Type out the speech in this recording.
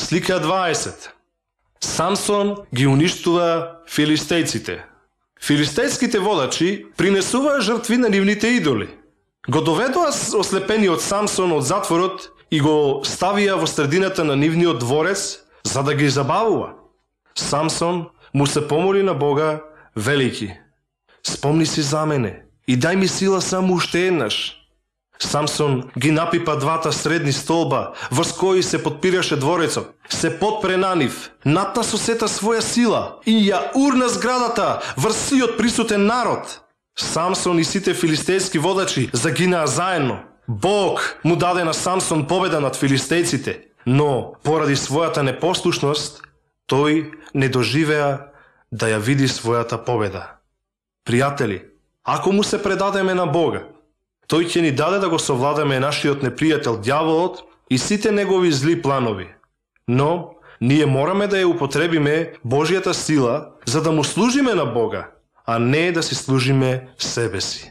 Слика 20. Самсон ги уништува филистејците. Филистејските водачи принесуваа жртви на нивните идоли. Го доведоа ослепениот Самсон од затворот и го ставија во средината на нивниот дворец за да ги забавува. Самсон му се помоли на Бога, велики: спомни си за мене и дај ми сила само уште еднаш. Самсон ги напипа двата средни столба врз кои се подпираше дворецот, се подпре на нив, натна со сета своја сила и ја урна зградата врз сиот присутен народ. Самсон и сите филистејски водачи загинаа заедно. Бог му даде на Самсон победа над филистејците, но поради својата непослушност тој не доживеа да ја види својата победа. Пријатели, ако му се предадеме на Бога, тој ќе ни даде да го совладаме нашиот непријател дјаволот и сите негови зли планови. Но ние мораме да ја употребиме Божјата сила за да му служиме на Бога, а не да си служиме себе си.